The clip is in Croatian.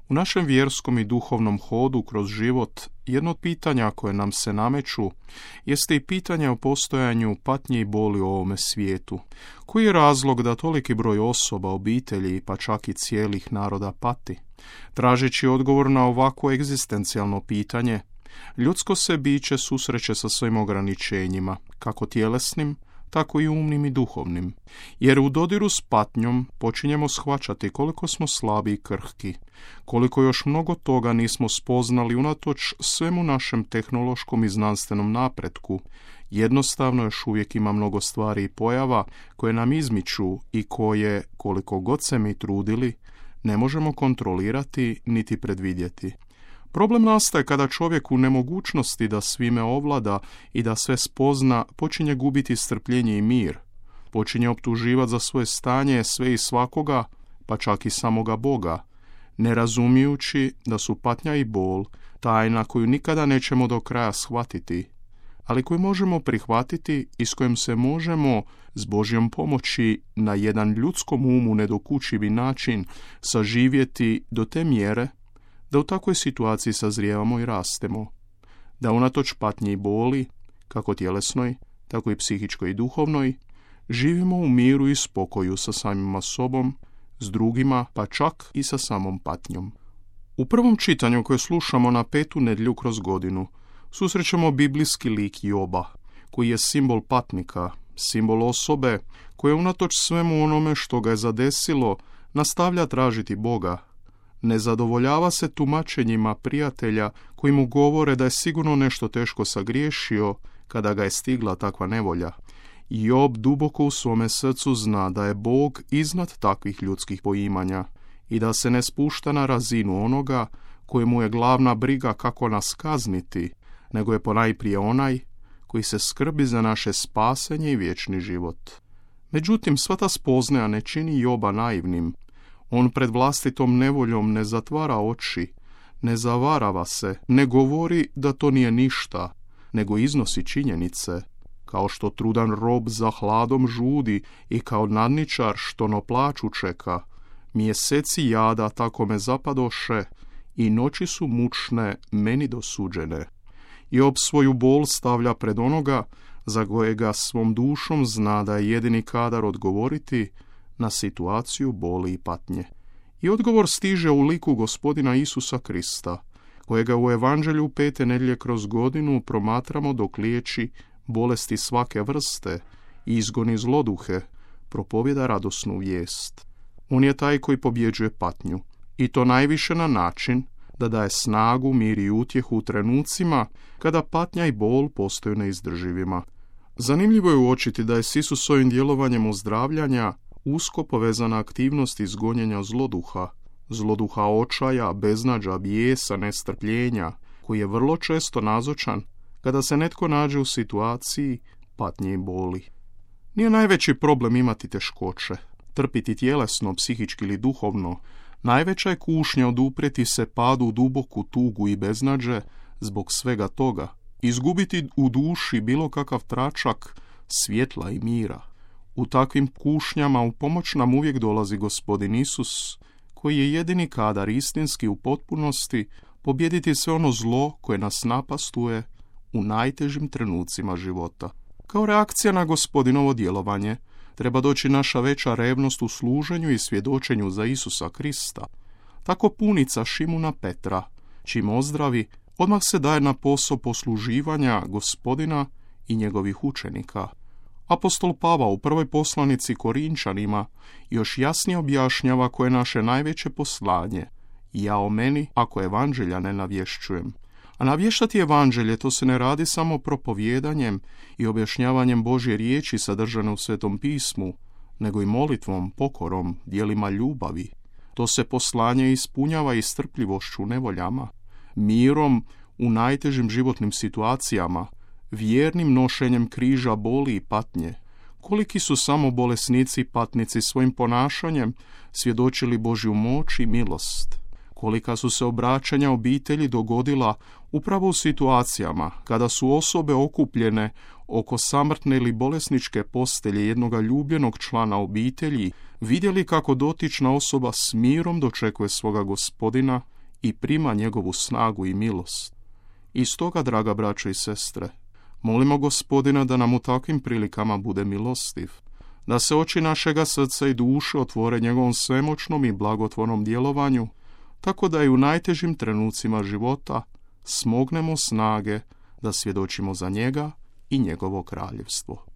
U našem vjerskom i duhovnom hodu kroz život, jedno od pitanja koje nam se nameću jeste i pitanje o postojanju patnje i boli u ovome svijetu. Koji je razlog da toliki broj osoba, obitelji pa čak i cijelih naroda pati? Tražeći odgovor na ovako egzistencijalno pitanje, ljudsko se biće susreće sa svojim ograničenjima, kako tjelesnim, tako i umnim i duhovnim. Jer u dodiru s patnjom počinjemo shvaćati koliko smo slabi i krhki, koliko još mnogo toga nismo spoznali unatoč svemu našem tehnološkom i znanstvenom napretku. Jednostavno još uvijek ima mnogo stvari i pojava koje nam izmiču i koje, koliko god se mi trudili, ne možemo kontrolirati niti predvidjeti. Problem nastaje kada čovjek u nemogućnosti da svime ovlada i da sve spozna počinje gubiti strpljenje i mir. Počinje optuživati za svoje stanje sve i svakoga, pa čak i samoga Boga, ne razumijući da su patnja i bol tajna koju nikada nećemo do kraja shvatiti, ali koju možemo prihvatiti i s kojom se možemo s Božjom pomoći na jedan ljudskom umu nedokučivi način saživjeti do te mjere da u takvoj situaciji sazrijevamo i rastemo, da unatoč patnji i boli, kako tjelesnoj, tako i psihičkoj i duhovnoj, živimo u miru i spokoju sa samima sobom, s drugima, pa čak i sa samom patnjom. U prvom čitanju koje slušamo na 5. nedjelju kroz godinu, susrećemo biblijski lik Joba, koji je simbol patnika, simbol osobe koja unatoč svemu onome što ga je zadesilo, nastavlja tražiti Boga. Ne zadovoljava se tumačenjima prijatelja koji mu govore da je sigurno nešto teško sagriješio kada ga je stigla takva nevolja. Job duboko u svome srcu zna da je Bog iznad takvih ljudskih poimanja i da se ne spušta na razinu onoga kojemu je glavna briga kako nas kazniti, nego je ponajprije onaj koji se skrbi za naše spasenje i vječni život. Međutim, sva ta spoznaja ne čini Joba naivnim. On pred vlastitom nevoljom ne zatvara oči, ne zavarava se, ne govori da to nije ništa, nego iznosi činjenice, kao što trudan rob za hladom žudi i kao nadničar što no plaću čeka. Mjeseci jada tako me zapadoše i noći su mučne meni dosuđene. Job svoju bol stavlja pred onoga za kojega svom dušom zna da je jedini kadar odgovoriti na situaciju boli i patnje. I odgovor stiže u liku Gospodina Isusa Krista, kojega u Evanđelju 5. nedjelje kroz godinu promatramo dok liječi bolesti svake vrste i izgoni zloduhe, propovjeda radosnu vijest. On je taj koji pobjeđuje patnju, i to najviše na način da daje snagu, mir i utjehu u trenucima kada patnja i bol postaju neizdrživima. Zanimljivo je uočiti da je s Isusovim djelovanjem ozdravljanja usko povezana aktivnost izgonjenja zloduha očaja, beznađa, bijesa, nestrpljenja, koji je vrlo često nazočan kada se netko nađe u situaciji patnje i boli. Nije najveći problem imati teškoće, trpiti tjelesno, psihički ili duhovno. Najveća je kušnja oduprijeti se padu u duboku tugu i beznađe zbog svega toga, izgubiti u duši bilo kakav tračak svjetla i mira. U takvim kušnjama u pomoć nam uvijek dolazi Gospodin Isus, koji je jedini kadar istinski u potpunosti pobijediti sve ono zlo koje nas napastuje u najtežim trenucima života. Kao reakcija na Gospodinovo djelovanje treba doći naša veća revnost u služenju i svjedočenju za Isusa Krista. Tako punica Šimuna Petra, čim ozdravi, odmah se daje na posao posluživanja Gospodina i njegovih učenika. Apostol Pavao u prvoj poslanici Korinčanima još jasnije objašnjava koje je naše najveće poslanje. Ja o meni, ako evanđelja ne navješćujem. A navještati evanđelje to se ne radi samo propovjedanjem i objašnjavanjem Božje riječi sadržane u Svetom pismu, nego i molitvom, pokorom, djelima ljubavi. To se poslanje ispunjava i strpljivošću u nevoljama, mirom u najtežim životnim situacijama, vjernim nošenjem križa boli i patnje. Koliki su samo bolesnici i patnici svojim ponašanjem svjedočili Božju moć i milost. Kolika su se obraćanja obitelji dogodila upravo u situacijama kada su osobe okupljene oko samrtne ili bolesničke postelje jednoga ljubljenog člana obitelji vidjeli kako dotična osoba s mirom dočekuje svoga Gospodina i prima njegovu snagu i milost. I stoga, draga braćo i sestre, molimo Gospodina da nam u takvim prilikama bude milostiv, da se oči našega srca i duše otvore njegovom svemoćnom i blagotvornom djelovanju, tako da i u najtežim trenucima života smognemo snage da svjedočimo za njega i njegovo kraljevstvo.